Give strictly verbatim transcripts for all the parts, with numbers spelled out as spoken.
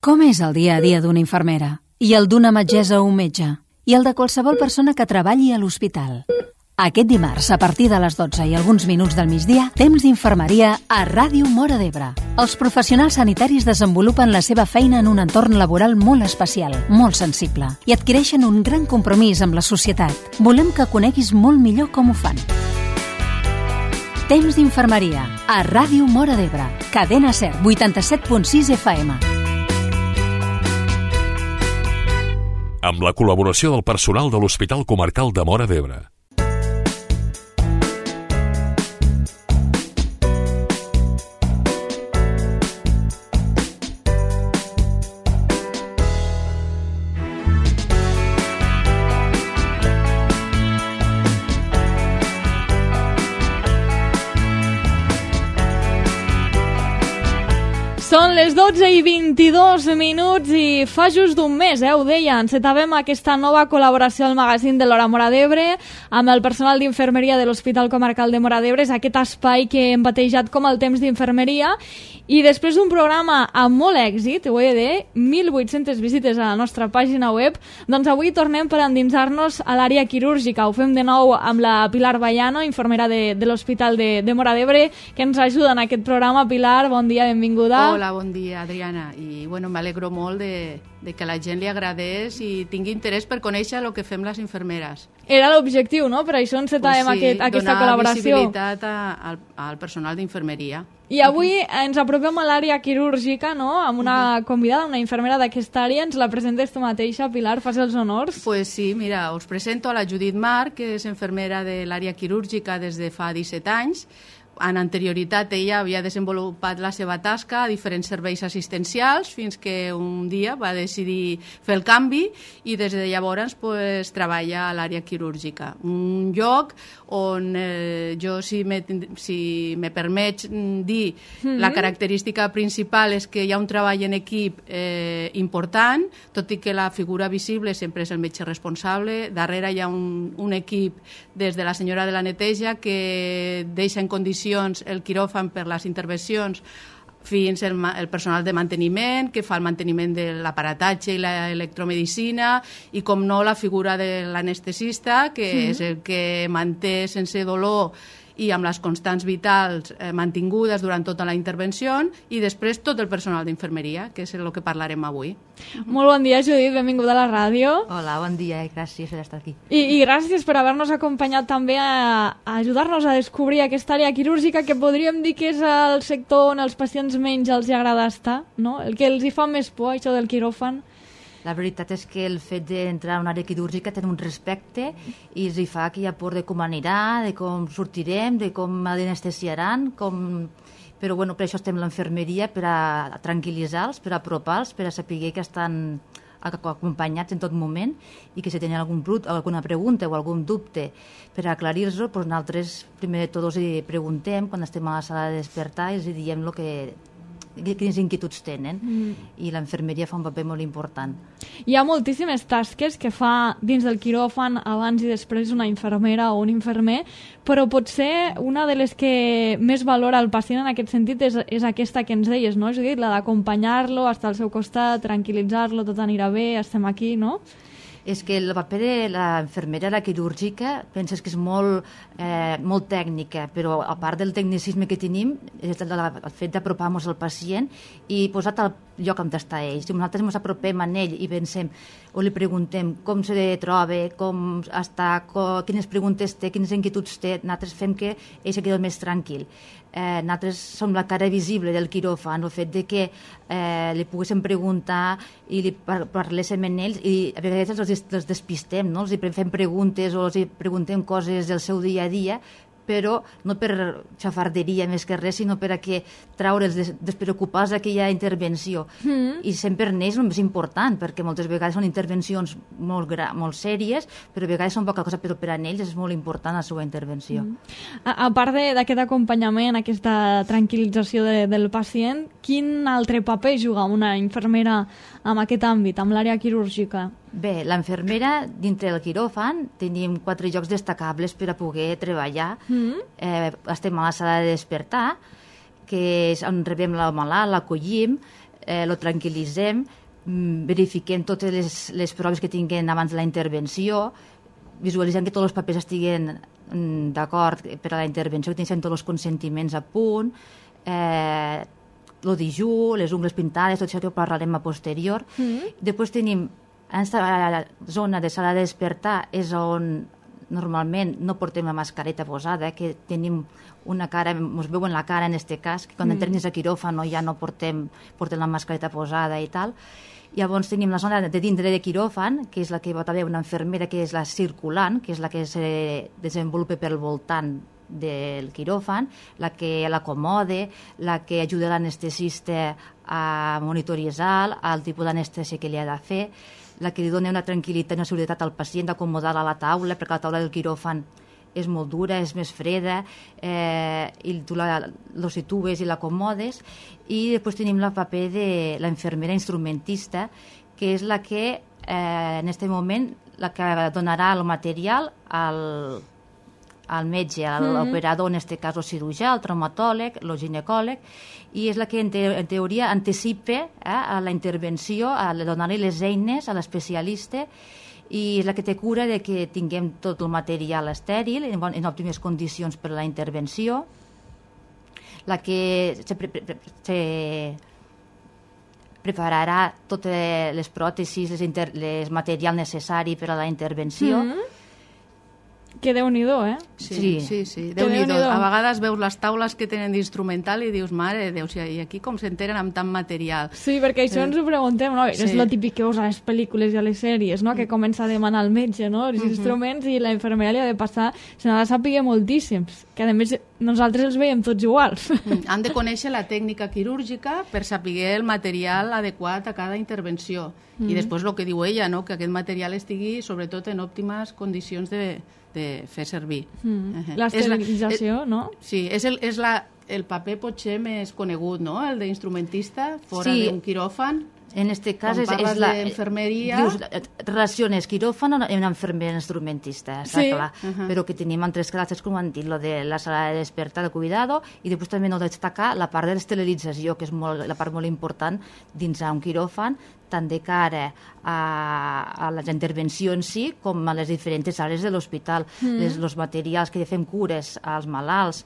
Com és el dia a dia d'una infermera? I el d'una metgessa o un metge? I el de qualsevol persona que treballi a l'hospital? Aquest dimarts, a partir de les dotze i alguns minuts del migdia, temps d'infermeria a Ràdio Móra d'Ebre. Els professionals sanitaris desenvolupen la seva feina en un entorn laboral molt especial, molt sensible, i adquireixen un gran compromís amb la societat. Volem que coneguis molt millor com ho fan. Temps d'infermeria a Ràdio Móra d'Ebre. Cadena SER, vuitanta-set punt sis F M. Amb la col·laboració del personal de l'Hospital Comarcal de Móra d'Ebre. Són les dotze i vint-i-dos minuts i fa just d'un mes, eh, ho deia, encetàvem aquesta nova col·laboració al magazín de l'Hora Móra d'Ebre amb el personal d'infermeria de l'Hospital Comarcal de Móra d'Ebre, és aquest espai que hem batejat com el temps d'infermeria, i després d'un programa amb molt èxit, ho he de dir, mil vuit-centes visites a la nostra pàgina web, doncs avui tornem per endinsar-nos a l'àrea quirúrgica. Ho fem de nou amb la Pilar Vallano, infermera de, de l'Hospital de, de Móra d'Ebre, que ens ajuda en aquest programa. Pilar, bon dia, benvinguda. Hola, bon dia, Adriana. I bueno, m'alegro molt de, de que a la gent li agradés i tingui interès per conèixer el que fem les infermeres. Era l'objectiu, no? Per això encetàvem pues sí, aquest, aquesta donar col·laboració. Visibilitat a, al, al personal d'infermeria. I avui ens apropem a l'àrea quirúrgica, no? Amb una convidada, una infermera d'aquesta àrea. Ens la presentes tu mateixa, Pilar, fas els honors. Pues sí, mira, us presento a la Judit Marc, que és infermera de l'àrea quirúrgica des de fa disset anys. En anterioritat ella havia desenvolupat la seva tasca a diferents serveis assistencials fins que un dia va decidir fer el canvi i des de llavors pues, treballa a l'àrea quirúrgica. Un lloc on eh, jo, si me, si me permets dir, mm-hmm. la característica principal és que hi ha un treball en equip eh, important, tot i que la figura visible sempre és el metge responsable. Darrere hi ha un, un equip des de la senyora de la neteja que deixa en condicions el quiròfan per les intervencions fins el, el personal de manteniment, que fa el manteniment de l'aparatatge i l'electromedicina, i com no la figura de l'anestesista, que sí. és el que manté sense dolor i amb les constants vitals eh, mantingudes durant tota la intervenció, i després tot el personal d'infermeria, que és el que parlarem avui. Molt bon dia, Judit, benvinguda a la ràdio. Hola, bon dia i gràcies per estar aquí. I, i gràcies per haver-nos acompanyat també a, a ajudar-nos a descobrir aquesta àrea quirúrgica que podríem dir que és el sector on els pacients menys els agrada estar, no? El que els hi fa més por, això del quiròfan. La veritat és que el fet d'entrar a una àrea quirúrgica té un respecte i els hi fa que hi ha por de com anirà, de com sortirem, de com anestesiaran, com... però bueno, per això estem a l'infermeria, per a tranquil·litzar-los, per a apropar-los, per a saber que estan acompanyats en tot moment i que si tenen algun, alguna pregunta o algun dubte per aclarir-los, doncs nosaltres primer de tot els preguntem quan estem a la sala de despertar i els diem el que... quines inquietuds tenen, mm. i l'infermeria fa un paper molt important. Hi ha moltíssimes tasques que fa dins del quiròfan abans i després una infermera o un infermer, però potser una de les que més valora el pacient en aquest sentit és, és aquesta que ens deies, no, Judit? La d'acompanyar-lo, estar al seu costat, tranquil·litzar-lo, tot anirà bé, estem aquí, no? És que el paper de la infermera, la quirúrgica, penses que és molt, eh, molt tècnica, però a part del tecnicisme que tenim, és el, el fet d'apropar-nos al pacient i posat al lloc on està ell. Si nosaltres ens apropem a ell i pensem o li preguntem com se troba, com està, com, quines preguntes té, quines inquietuds té, nosaltres fem que ell se quedi més tranquil. Eh, nosaltres som la cara visible del quiròfan, el fet de que eh, li poguéssim preguntar i li par parléssim amb ells i a vegades els, els despistem, no? Els fem preguntes o els preguntem coses del seu dia a dia, però no per xafarderia més que res, sinó per a que traure'ls, des, despreocupar-se d'aquella intervenció. Mm. I sempre en ells és el més important, perquè moltes vegades són intervencions molt, molt sèries, però a vegades són poca cosa, però per a ells és molt important la seva intervenció. Mm. A, a part d'aquest acompanyament, aquesta tranquil·lització de, del pacient, quin altre paper juga una infermera en aquest àmbit, amb l'àrea quirúrgica? Bé, l'infermera, dintre del quiròfan, tenim quatre llocs destacables per a poder treballar. Mm. Eh, estem a la sala de despertar, que és on rebem la malalt, l'acollim, eh, lo tranquil·litzem, verifiquem totes les, les proves que tinguem abans de la intervenció, visualitzem que tots els papers estiguen d'acord per a la intervenció, que tinguem tots els consentiments a punt, eh, el dijú, les ungles pintades, tot això que ho parlarem a posterior. Mm-hmm. Després tenim, en aquesta zona de sala de despertar és on normalment no portem la mascareta posada, que tenim una cara, ens veuen la cara en aquest cas, que quan mm. entrem a quiròfan ja no portem, portem la mascareta posada i tal. Llavors tenim la zona de dintre de quiròfan, que és la que pot haver una infermera, que és la circulant, que és la que se desenvolupa pel voltant del quiròfan, la que l'acomode, la que ajuda l'anestesista a monitoritzar el tipus d'anestèsia que li ha de fer, la que li dona una tranquil·litat i una seguretat al pacient d'acomodar-la a la taula, perquè la taula del quiròfan és molt dura, és més freda, eh, i tu la, lo situes i l'acomodes. I després tenim el paper de la infermera instrumentista, que és la que, eh, en aquest moment, la que donarà el material al, al metge, a l'operador, en aquest cas el cirurgià, el traumatòleg, el ginecòleg, i és la que en, te, en teoria anticipa eh, a la intervenció, a donar-li les eines a l'especialista, i és la que té cura de que tinguem tot el material estèril en, en òptimes condicions per a la intervenció, la que se, pre, pre, se prepararà totes les pròtesis, les, inter, les material necessari per a la intervenció. Mm-hmm. Que Déu-n'hi-do, eh? Sí, sí, sí. Déu-n'hi-do. A vegades veus les taules que tenen d'instrumental i dius, mare de Déu, i aquí com s'enteren amb tant material. Sí, perquè això ens ho preguntem, no? Sí. És el típic que veus a les pel·lícules i a les sèries, no? Que comença a demanar al metge, no? Els uh-huh. instruments, i la infermera li ha de passar, se n'ha de saber moltíssims, que a més nosaltres els veiem tots iguals. Mm. Han de conèixer la tècnica quirúrgica per saber el material adequat a cada intervenció. Mm. I després el que diu ella, no? Que aquest material estigui sobretot en òptimes condicions de de fer servir. Mm. Uh-huh. L'esterilització, no? Sí, és, el, és la, el paper potser més conegut, no?, el d'instrumentista, fora sí. d'un quiròfan. En aquest cas és, és la... d'infermeria... Dius, relaciones quiròfan amb una infermera instrumentista, està sí. clar. Uh-huh. Però que tenim altres classes, com han dit, lo de la sala de despertar, de cuidado, i després també no destacar la part de l'esterilització, que és molt, la part molt important dins un quiròfan, tant de cara a, a la intervenció en si com a les diferents àrees de l'hospital. Mm. Les, els materials que fem cures als malalts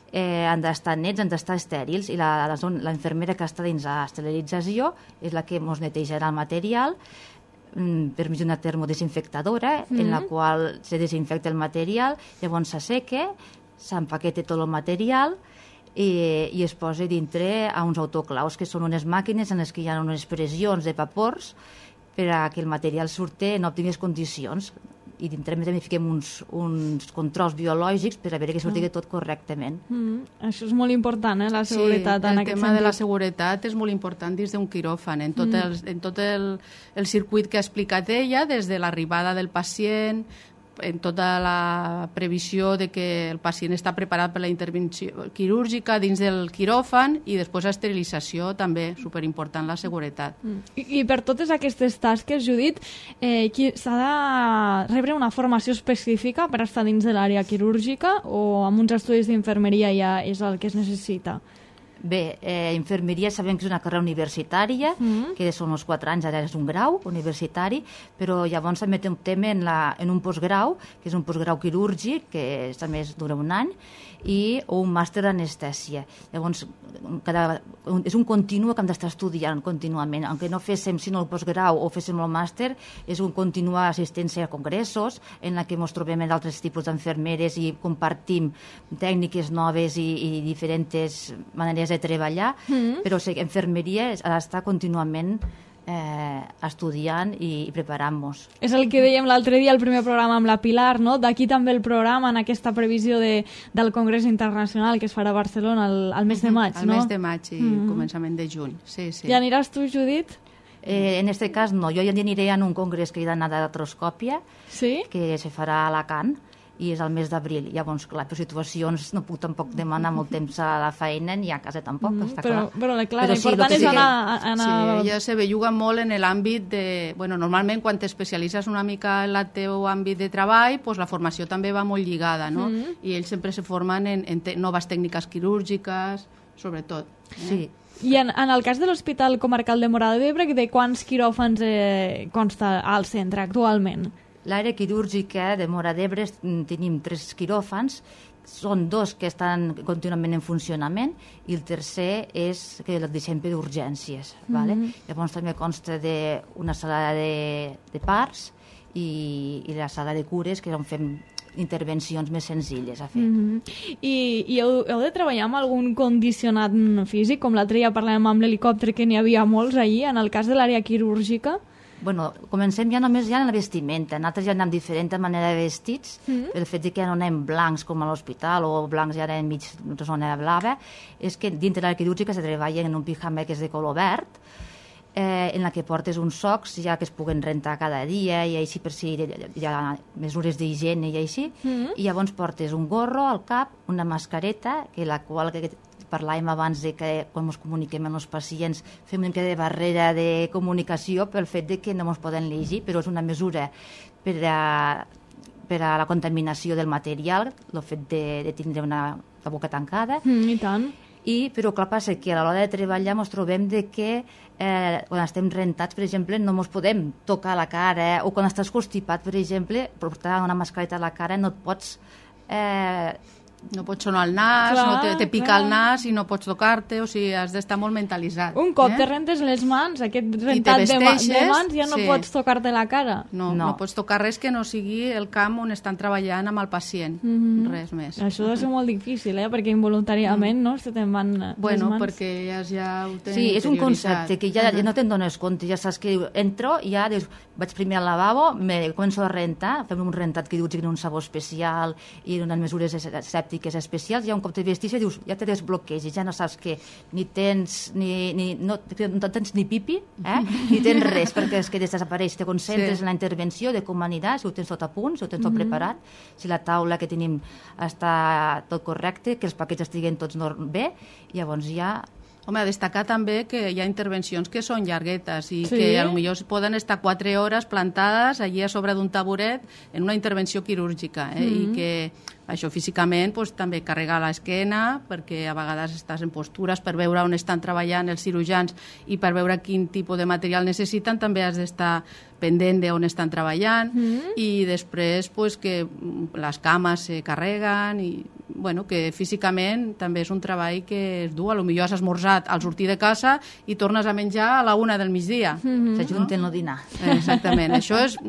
eh, han d'estar nets, han d'estar estèrils, i la, la, la infermera que està dins la esterilització és la que ens netejarà el material mm, per mitjà d'una termodesinfectadora, mm. en la qual se desinfecta el material, llavors s'asseca, s'empaqueta tot el material i, i es posa dintre a uns autoclaus, que són unes màquines en les que hi ha unes pressions de vapors per a que el material surti en òptimes condicions. I dintre també fiquem uns, uns controls biològics per a veure que surti mm. tot correctament. Mm. Això és molt important, eh, la seguretat. Sí, en el aquest tema sentit. de la seguretat és molt important dins d'un quiròfan, en tot, mm. el, en tot el, el circuit que ha explicat ella, des de l'arribada del pacient, en tota la previsió de que el pacient està preparat per la intervenció quirúrgica dins del quiròfan, i després l'esterilització també, superimportant la seguretat. Mm. I, I per totes aquestes tasques, Judit, eh, s'ha de rebre una formació específica per estar dins de l'àrea quirúrgica, o amb uns estudis d'infermeria ja és el que es necessita? Bé, eh, infermeria sabem que és una carrera universitària, mm. que són uns quatre anys, ara és un grau universitari, però llavors també optem en, la, en un postgrau, que és un postgrau quirúrgic, que també dura un any, i o un màster d'anestèsia. Llavors, cada, un, és un continu que hem d'estar estudiant contínuament. Aunque no féssim sinó el postgrau o féssim el màster, és un continua assistència a congressos en la que ens trobem amb altres tipus d'enfermeres i compartim tècniques noves i, i diferents maneres de treballar, mm. però sí, infermeria ha d'estar contínuament eh, estudiant i, i preparant-nos. És el que dèiem l'altre dia al primer programa amb la Pilar, no? D'aquí també el programa en aquesta previsió de, del Congrés Internacional que es farà a Barcelona al, al mes de maig, al no? Al mes de maig i mm. començament de juny. Sí, sí. I aniràs tu, Judit? Eh, en aquest cas no, jo ja aniré a un congrés que hi ha d'anar d'artroscòpia, sí? que se farà a Alacant, i és al mes d'abril. Llavors, clar, per situacions no puc tampoc demanar molt temps a la feina ni a casa tampoc, mm, està però, clar. Però, clar, l'important sí, és anar... Que... anar... Sí, ella se belluga molt en l'àmbit de... Bueno, normalment quan t'especialitzes una mica en el teu àmbit de treball, pues la formació també va molt lligada, no? Mm. I ells sempre se formen en, en te... noves tècniques quirúrgiques, sobretot. Eh? Sí, I en, en el cas de l'Hospital Comarcal de Móra d'Ebre, de quants quiròfans eh, consta al centre actualment? L'àrea quirúrgica de Móra d'Ebre tenim tres quiròfans, són dos que estan contínuament en funcionament i el tercer és que el deixem per urgències. Mm-hmm. Vale? Llavors també consta d'una sala de, de parts i, i la sala de cures, que és on fem intervencions més senzilles a fer. Mm-hmm. I, i heu, heu de treballar amb algun condicionat físic? Com l'altre dia parlàvem amb l'helicòpter, que n'hi havia molts ahir, en el cas de l'àrea quirúrgica? Bueno, comencem ja només ja en la vestimenta. Nosaltres ja anem diferent manera de vestits, mm. el fet que ja no anem blancs com a l'hospital o blancs ja anem mig zona blava, és que dintre de la quirúrgica se treballa en un pijama que és de color verd, eh, en la que portes uns socs ja que es puguen rentar cada dia i així per si hi ha mesures d'higiene i així, mm. i llavors portes un gorro al cap, una mascareta, que la qual que parlàvem abans de que quan ens comuniquem amb els pacients fem una mica de barrera de comunicació pel fet de que no ens poden llegir, però és una mesura per a, per a la contaminació del material, el fet de, de tindre una, la boca tancada. Mm, I tant. I, però clar, passa que a l'hora de treballar ens trobem de que eh, quan estem rentats, per exemple, no ens podem tocar la cara, o quan estàs constipat, per exemple, portar una mascareta a la cara no et pots... Eh, No pots sonar el nas, clar, no te, te pica clar. el nas i no pots tocar-te, o sigui, has d'estar molt mentalitzat. Un cop eh? te rentes les mans, aquest rentat de, ma de mans, ja no sí. pots tocar-te la cara. No, no, no pots tocar res que no sigui el camp on estan treballant amb el pacient, mm-hmm. res més. Això deu ser molt difícil, eh? Perquè involuntàriament mm. no, se te'n van bueno, les mans. perquè ja, ja ho tenen Sí, és un concepte que ja, ja no te'n dones compte, ja saps que entro i ja dius, vaig primer al lavabo, me començo a rentar, fem un rentat quirúrgic en un sabó especial i en unes mesures sèptiques especials, un cop te vestis i dius, ja te desbloqueges, ja no saps que ni tens ni, ni, no, no tens ni pipi, eh? ni tens res, perquè és que desapareix, te concentres sí. en la intervenció de com anirà, si ho tens tot a punt, si ho tens tot mm -hmm. preparat, si la taula que tenim està tot correcte, que els paquets estiguen tots bé, i llavors ja... Home, a destacar també que hi ha intervencions que són llarguetes i sí? que potser poden estar quatre hores plantades allí a sobre d'un taburet en una intervenció quirúrgica, eh? Mm-hmm. I que això físicament pues, també carrega l'esquena, perquè a vegades estàs en postures per veure on estan treballant els cirurgians i per veure quin tipus de material necessiten, també has d'estar pendent d'on estan treballant, mm-hmm. i després pues, que les cames se carreguen i bueno, que físicament també és un treball que es du, a lo millor has esmorzat al sortir de casa i tornes a menjar a la una del migdia. Mm-hmm. S'ajunten no? el dinar. Exactament. Això és...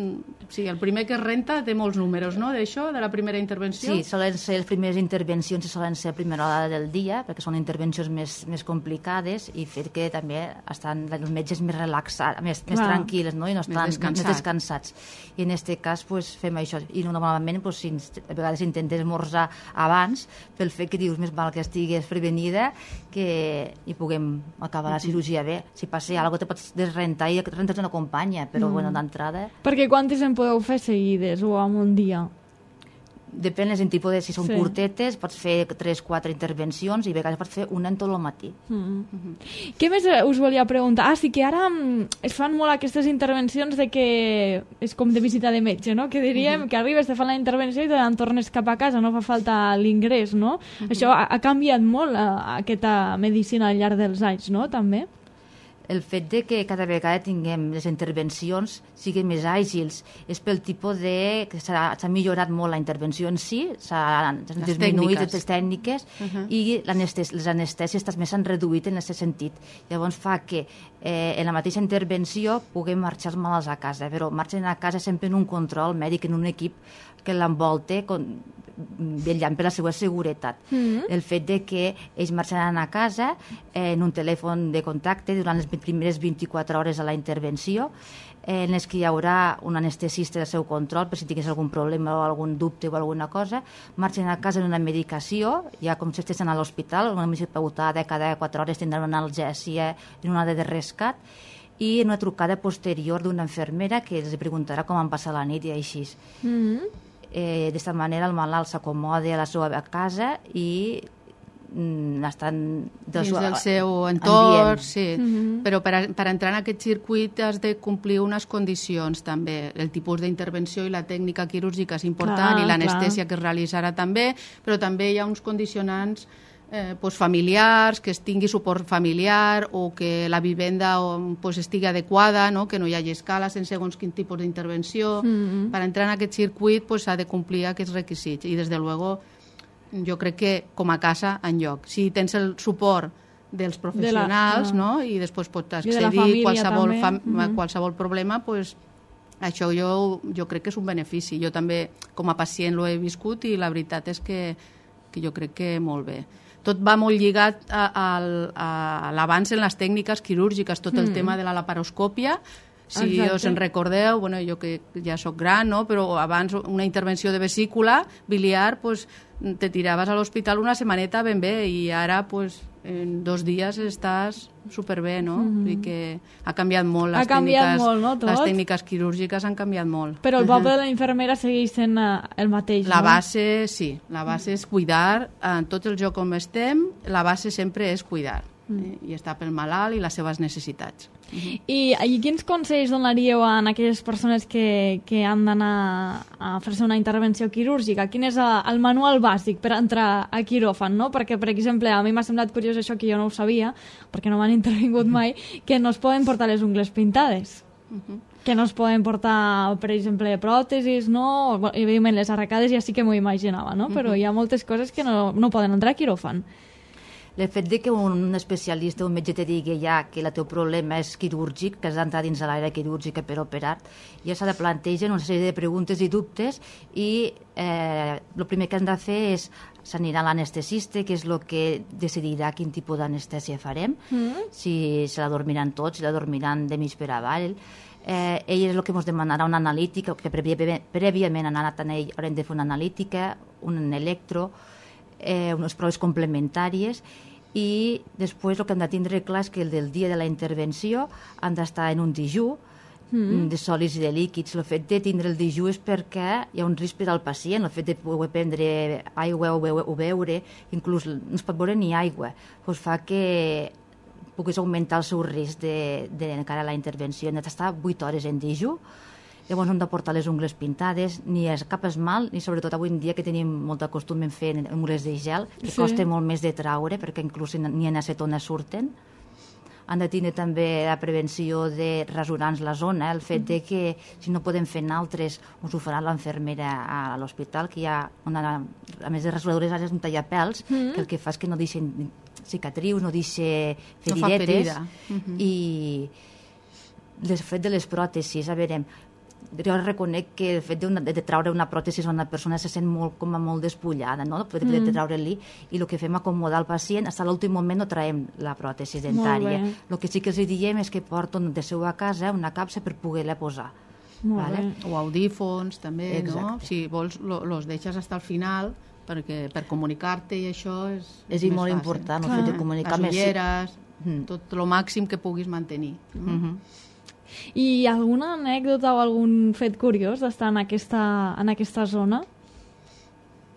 Sí, el primer que es renta té molts números, no?, d'això, de la primera intervenció. Sí, solen ser les primeres intervencions i solen ser a primera hora del dia, perquè són intervencions més, més complicades i fer que també estan els metges més relaxats, més, més tranquil·les, no?, i no estan més, descansat. més descansats. I en aquest cas pues, fem això. I normalment pues, si, a vegades intentes esmorzar abans, pel fet que dius més val que estigues prevenida que hi puguem acabar la cirurgia bé. Si passa alguna cosa te pots desrentar i rentes una companya, però mm. bueno, d'entrada... Perquè quantes en podeu fer seguides o en un dia? Depèn del tipus de... Si són sí. curtetes, pots fer tres quatre intervencions i a vegades pots fer una en tot el matí. Mm -hmm. Què més us volia preguntar? Ah, sí que ara es fan molt aquestes intervencions de que és com de visita de metge, no? Que diríem mm -hmm. que arribes, te fan la intervenció i te'n tornes cap a casa, no fa falta l'ingrés, no? Mm -hmm. Això ha, ha canviat molt a, aquesta medicina al llarg dels anys, no? També? El fet de que cada vegada tinguem les intervencions siguin més àgils és pel tipus de... que s'ha millorat molt la intervenció en si, s'han disminuït les tècniques uh -huh. i les anestèsies també s'han reduït en aquest sentit. Llavors fa que eh, en la mateixa intervenció puguem marxar els malalts a casa, però marxen a casa sempre en un control mèdic, en un equip que l'envolta vetllant per la seva seguretat. Mm-hmm. El fet de que ells marxaran a casa eh, en un telèfon de contacte durant les primeres vint-i-quatre hores de la intervenció, eh, en les que hi haurà un anestesista del seu control per si tingués algun problema o algun dubte o alguna cosa, marxen a casa en una medicació, ja com si estessin a l'hospital, una medicació pautada, cada quatre hores tindran una analgèsia, una de rescat, i una trucada posterior d'una infermera que els preguntarà com han passat la nit i així. Mm-hmm. Eh, D'esta manera el malalt s'acomoda a la seva casa i mm, estan dins del seu entorn, sí. Mm-hmm. Però per, a, per entrar en aquest circuit has de complir unes condicions també. El tipus d'intervenció i la tècnica quirúrgica és important, clar, i l'anestèsia que es realitzarà també, però també hi ha uns condicionants eh, pues familiars, que es tingui suport familiar o que la vivenda pues, estigui adequada, no? Que no hi hagi escales en segons quin tipus d'intervenció. Mm-hmm. Per entrar en aquest circuit pues, s'ha de complir aquests requisits i, des de luego, jo crec que com a casa enlloc. Si tens el suport dels professionals, de la, no? I després pots accedir a qualsevol, fam, mm-hmm. qualsevol problema, pues, això jo, jo crec que és un benefici. Jo també, com a pacient, l'ho he viscut i la veritat és que, que jo crec que molt bé. Tot va molt lligat a, a, a l'avanç en les tècniques quirúrgiques, tot el mm. tema de la laparoscòpia. Si Exacte. Us en recordeu, bueno, jo que ja sóc gran, no? Però abans una intervenció de vesícula biliar, pues, te tiraves a l'hospital una setmaneta ben bé i ara pues, en dos dies estàs superbé, no? Mm-hmm. Vull dir que ha canviat molt. Les ha canviat tècniques, molt, no? Tot? Les tècniques quirúrgiques han canviat molt. Però el paper de la infermera segueix sent el mateix, la no? La base, sí. La base és cuidar. En tot el joc on estem, la base sempre és cuidar. Mm. Eh? I estar pel malalt i les seves necessitats. Mm-hmm. I, I quins consells donaríeu a aquelles persones que, que han d'anar a fer-se una intervenció quirúrgica? Quin és el, el manual bàsic per entrar a quiròfan, no? Perquè, per exemple, a mi m'ha semblat curiós això que jo no ho sabia, perquè no m'han intervingut mai, que no es poden portar les ungles pintades. Mm-hmm. Que no es poden portar, per exemple, pròtesis, no? Evidentment, les arracades ja sí que m'ho imaginava, no? Però hi ha moltes coses que no, no poden entrar a quiròfan. El fet de que un especialista, un metge te digui ja que el teu problema és quirúrgic, que has d'entrar dins de l'àrea quirúrgica per operar, ja s'ha de plantejar una sèrie de preguntes i dubtes i eh, el primer que han de fer és s'anirà a l'anestesista, que és el que decidirà quin tipus d'anestèsia farem, mm. si se la dormiran tots, si la dormiran de mig per avall. Eh, ell és el que ens demanarà una analítica, que prèviament, prèviament han anat a ell, haurem de fer una analítica, un electro, eh, unes proves complementàries i després el que hem de tindre clar és que el del dia de la intervenció han d'estar en un dijú mm. de sòlids i de líquids. El fet de tindre el dijú és perquè hi ha un risc per al pacient, el fet de poder prendre aigua o, beure, o beure, inclús no es pot beure ni aigua, doncs fa que puguis augmentar el seu risc de, de, de cara a la intervenció. Hem d'estar vuit hores en dijú. Llavors no hem de portar les ungles pintades, ni és cap esmalt, ni sobretot avui en dia que tenim molt de costum en fer ungles de gel, que sí. Costa molt més de traure, perquè inclús ni en acetona surten. Han de tenir també la prevenció de rasurar-nos la zona, el fet de que si no podem fer altres, us ho farà l'enfermera a l'hospital, que hi ha, una, a més de rasuradores, ara és un tallapels, mm. que el que fa és que no deixen cicatrius, no deixa feridetes, no mm-hmm. i el fet de les pròtesis, a veure, jo reconec que el fet de, una, de traure una pròtesi a una persona se sent molt, com a molt despullada, no? El fet de, de treure-li, i el que fem acomodar el pacient, fins a l'últim moment no traiem la pròtesi dentària. El que sí que els diem és que porten de seu a casa una capsa per poder-la posar. Vale? O audífons també, exacte. No? Si vols, lo, los deixes fins al final, perquè per comunicar-te i això és, és, és més molt fàcil. Important, el fet de comunicar les ulleres, més... tot el màxim que puguis mantenir. No? Mm-hmm. I alguna anècdota o algun fet curiós d'estar en aquesta, en aquesta zona?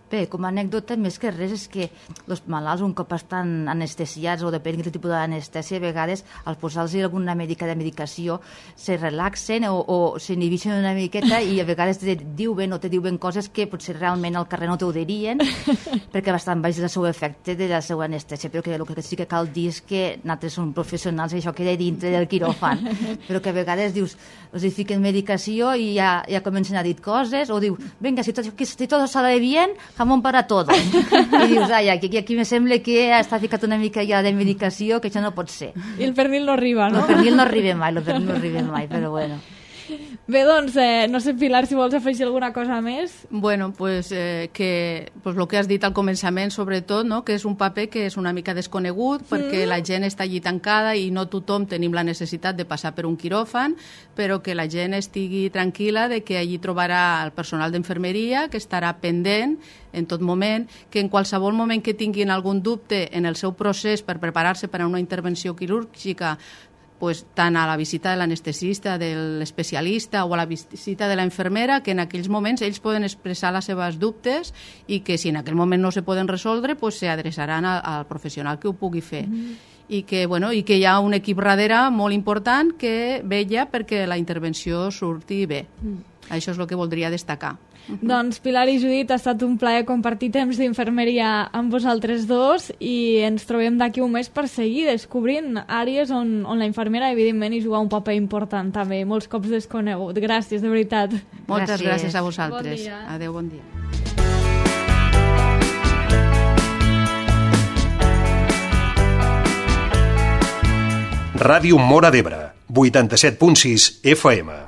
Bé, com a anècdota, més que res, és que els malalts, un cop estan anestesiats o depèn del tipus d'anestèsia, a vegades, al posar-los alguna mèdica de medicació, se relaxen o, o s'inhibixen una miqueta i a vegades te diuen o te diuen coses que potser realment al carrer no t'ho dirien, perquè bastant baix el seu efecte de la seva anestèsia, però que el que sí que cal dir és que nosaltres som professionals i això queda dintre del quiròfan, però que a vegades dius, els hi fiquen medicació i ja, ja comencen a dir coses, o diu, venga, si tot, si tot sale bien, jamón para todos. I dius, ai, aquí, aquí me sembla que està ficat una mica ja de medicació, que això no pot ser. I el pernil no arriba, no? El pernil no arriba mai, el pernil no arriba mai, però bueno. Bé, doncs, eh, no sé, Pilar, si vols afegir alguna cosa més. Bueno, pues, eh, que pues, lo que has dit al començament, sobretot, no? Que és un paper que és una mica desconegut, mm. perquè la gent està allí tancada i no tothom tenim la necessitat de passar per un quiròfan, però que la gent estigui tranquil·la de que allí trobarà el personal d'infermeria, que estarà pendent en tot moment, que en qualsevol moment que tinguin algun dubte en el seu procés per preparar-se per a una intervenció quirúrgica, pues, tant a la visita de l'anestesista, de l'especialista o a la visita de la infermera, que en aquells moments ells poden expressar les seves dubtes i que si en aquell moment no se poden resoldre, pues, se adreçaran al, al professional que ho pugui fer. Mm. i que, bueno, i que hi ha un equip darrere molt important que vetlla perquè la intervenció surti bé. Mm. Això és el que voldria destacar. Uh-huh. Doncs Pilar i Judit, ha estat un plaer compartir temps d'infermeria amb vosaltres dos i ens trobem d'aquí un mes per seguir descobrint àrees on, on la infermera evidentment hi juga un paper important també, molts cops desconegut. Gràcies, de veritat. Moltes gràcies, gràcies a Bon vosaltres. dia. Adéu, bon dia. Ràdio Móra d'Ebre, vuitanta-set punt sis F M.